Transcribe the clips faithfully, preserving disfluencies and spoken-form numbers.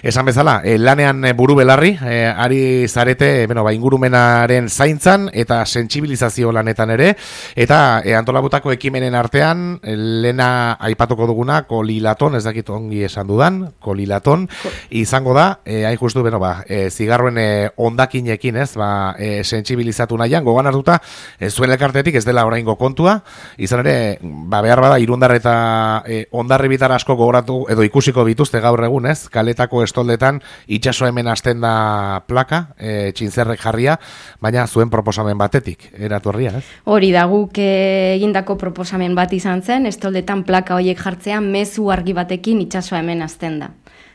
Esan bezala, e, lanean e, buru belarri, e, ari zarete, bueno, ba, ingurumenaren zaintzan eta sentsibilizazio lanetan ere, eta e, antolabutako ekimenen artean, e, lena aipatuko duguna, kolilaton, ez dakit ongi esan dudan, kolilaton, Ko. izango da, e, hain justu, bueno, ba, e, zigarroen e, ondakinekin, ez, ba, e, sentsibilizatu nahian, gogan hartuta, e, zuen elkartetik ez dela oraingo kontua, izan ere, ba, behar bada, irundar eta e, ondarri bitar asko gogoratu, edo ikusiko bituzte gaur egun, ez, kaletako estoldetan, itxaso hemen hasten da plaka, e, txintzerrek jarria, baina zuen proposamen batetik, eratu herria, ez? Hori da, guk e, egindako proposamen bat izan zen, estoldetan plaka horiek jartzea, mezu argi batekin itxaso hemen hasten da.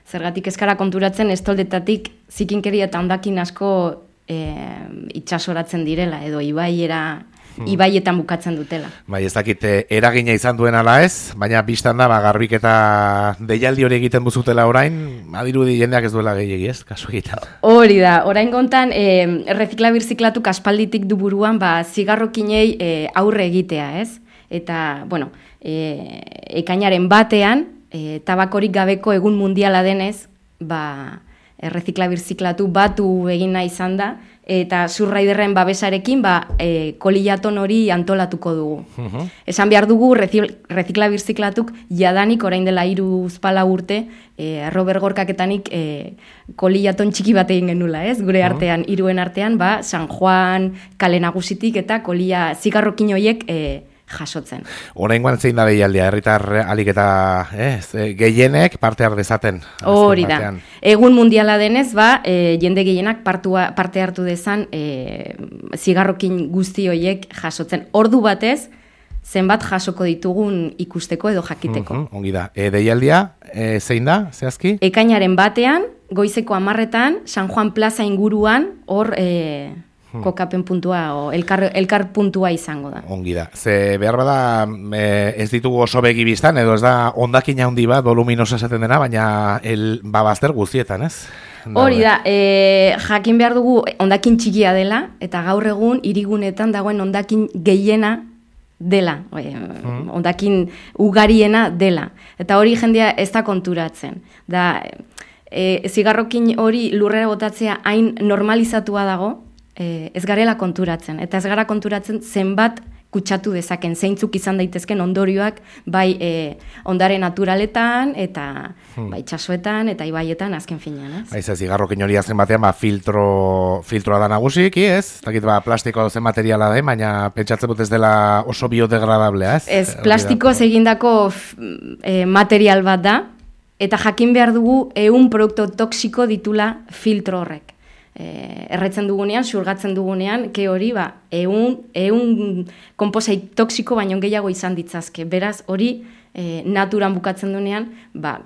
Zergatik eskara konturatzen, estoldetatik zikinkeria eta ondakin asko e, itxasoratzen direla, edo ibaiera, ibaietan bukatzen dutela. Bai, ez dakit eragina izan duen ala ez, baina biztan da, ba, garbik eta deialdi hori egiten duzutela orain, adirudi jendeak ez duela gehiagi ez, kasu egiten. Hori da, orain gontan, e, errezikla birziklatu aspalditik du buruan, ba, zigarrokinei e, aurre egitea, ez? Eta, bueno, e, ekainaren batean, e, tabakorik gabeko egun mundiala denez, ba, errezikla birziklatu batu egin nahi izan da, eta Surraiderren babesarekin ba, e, kolilaton hori antolatuko dugu. Uh-huh. Esan behar dugu, rezikla birziklatuk jadanik orain dela hiru uzpala urte, e, Robert Gorkaketanik e, kolilaton txiki bat egin genula, ez? Gure artean, uh-huh. hiruen artean, ba, San Juan, Kale Nagusitik eta kolia zigarrokin horiek e, jasotzen. Oraingoan zein da deialdia, herritar alik eta eh, gehienek parte har dezaten. Hori da. Egun mundiala denez, ba, e, jende gehienak partua, parte hartu dezan e, zigarrokin guzti horiek jasotzen. Ordu batez, zenbat jasoko ditugun ikusteko edo jakiteko. Uh-huh, ongi da. E, deialdia, e, zein da, zehazki? Ekainaren batean, goizeko hamarretan, San Juan Plaza inguruan, hor... E, kokapen puntua o elkar, elkar puntua izango da. Ongi da. Ze behar bada e, ez ditugu oso begi biztan, edo ez da ondakina handi bat, voluminosa esaten dena, baina el babazter guztietan, ez? Hori da, e, jakin behar dugu ondakin txikia dela, eta gaur egun hirigunetan dagoen ondakin gehiena dela, e, hmm. ondakin ugariena dela. Eta hori jendea ez da konturatzen. Da, e, zigarrokin hori lurrera botatzea hain normalizatua dago, Eh, ez garela konturatzen, eta ez gara konturatzen zenbat kutsatu dezaken, zeintzuk izan daitezken ondorioak, bai eh, ondare naturaletan, eta hmm. bai itxasoetan, eta ibaietan, azken finean, ez? Baiz ez, zigarrokin hori azken batean, ba, filtro, filtroa da nagusik, ez? Takit, ba, plastiko zen materiala da, baina pentsatzen dut ez dela oso biodegradablea, ez? Ez, plastikoz egindako eh, material bat da, eta jakin behar dugu ehun produktu toxiko ditula filtro horrek. Eh, erretzen dugunean, xurgatzen dugunean, ke hori, ba, eun, eun komposait toxiko baino gehiago izan ditzazke. Beraz, hori eh, naturan bukatzen dunean, ba,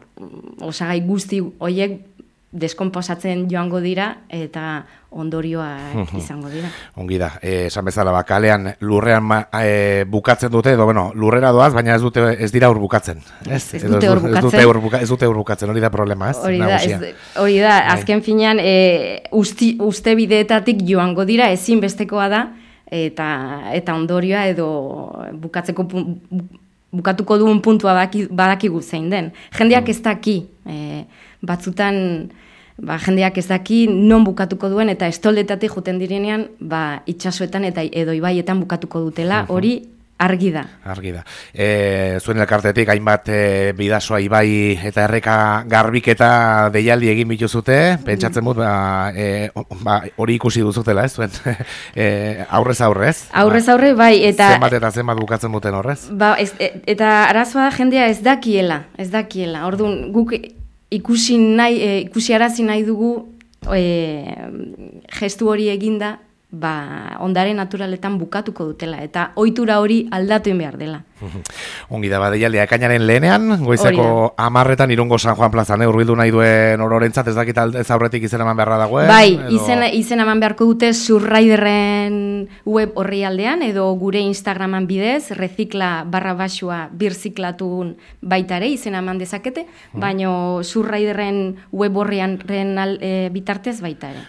osagai guzti horiek deskomposatzen joango dira eta ondorioa izango dira. Ongi da, eh, esan bezala, ba, kalean lurrean ma, eh, bukatzen dute, edo, bueno, lurrera doaz, baina ez dute ez dira ur bukatzen. Ez, ez dute ur bukatzen. Ez dute ur, buka, ez dute ur bukatzen, hori da problema, ez? Hori da, ez, hori da, azken finean, e, usti, uste bideetatik joango dira, ezin bestekoa da, eta, eta ondorioa edo bukatzeko bukatuko duen puntua badaki, badakigu zein den. Jendeak ez daki, e, batzutan... Ba, jendeak ez daki non bukatuko duen eta estoldetatik joten direnean ba, itxasoetan eta edo ibaietan bukatuko dutela, hori argi da. Argi da. E, zuen elkartetik hainbat e, bidasoa ibai eta erreka garbiketa deialdi egin bituzute, pentsatzen dut ba, e, ba, hori ikusi duzutela, ez zuen? E, aurrez aurrez? Aurrez aurre, bai. Eta, zenbat eta zenbat bukatzen duten horrez? Ba, ez, eta arazoa da jendea ez dakiela, ez dakiela. Orduan, guk ikusi nahi, e, ikusi arazi nahi dugu e, gestu hori eginda, ba, ondare naturaletan bukatuko dutela, eta ohitura hori aldatu behar dela. Ongi da, badeialdia, ekainaren lehenean, goizeko amarretan Irungo San Juan plazan, eh, urbildu nahi duen ororentzat, ez dakit ez aurretik izen eman beharra dagoen? Bai, edo... izen, izen eman beharko dute Surraiderren web horri aldean, edo gure Instagraman bidez, rezikla barra basua birziklatun baita ere, izen eman dezakete, hmm. baino Surraiderren web horrian ren, e, bitartez baita ere.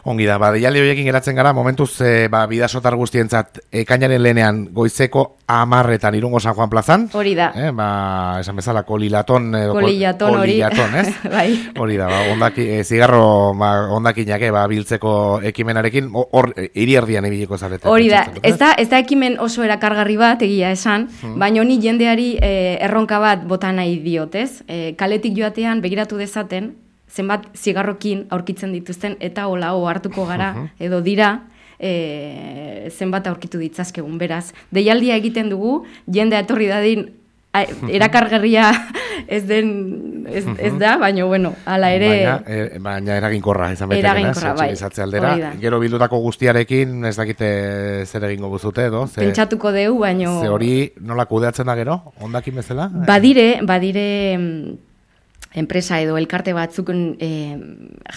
Ongi da, ba, deialdi horiekin geratzen gara, momentuz, e, ba, bidasotar guztientzat, ekainaren lehenean goizeko amarretan Irungo San Juan plazan. Hori da. Eh, ba, esan bezala, kolilaton. Edo, kolilaton hori. Kolilaton, ez? Bai. Hori da, ba, ondaki, e, zigarro ba, ondakinak, ba, biltzeko ekimenarekin, hor, hiri erdian ibiliko zarete. Hori da, ez da, ez da ekimen oso erakargarri bat, egia esan, hmm. baina honi jendeari e, erronka bat bota nahi diotez. E, kaletik joatean begiratu dezaten, zenbat zigarrokin aurkitzen dituzten eta hola hartuko gara edo dira e, zenbat aurkitu ditzazkegun. Beraz, deialdia egiten dugu, jendea etorri dadin erakargarria ez den ez, ez da, baina bueno, hala ere baina, e, baina eraginkorra izan bete eraginkorra, bai. Aldera, gero bildutako guztiarekin ez dakite zer egingo guzute edo ze, pentsatuko deu, baina ze hori nola kudeatzen da gero, ondakin bezala? Badire, badire enpresa edo elkarte batzuk e,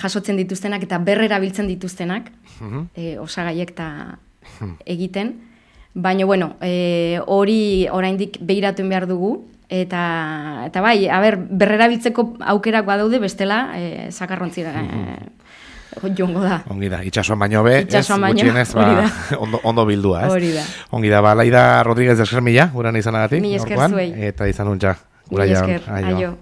jasotzen dituztenak eta berrera biltzen dituztenak, uh-huh. e, osagaiek eta egiten, baina bueno, e, hori oraindik behiratuen behar dugu, eta, eta bai, a ber, berrera biltzeko aukerak badaude bestela, e, sakarrontzira e, jongo da. Ongi da, itxasuan baino be, itxasuan ez, baino, gutxienez, ba, ondo, ondo bildua, ez? Hori da. Ongi da, ba, Laida Rodríguez de Eskermila, guran izanagatik, Mi esker zuei. Eta izan untxa, Mi esker, aio.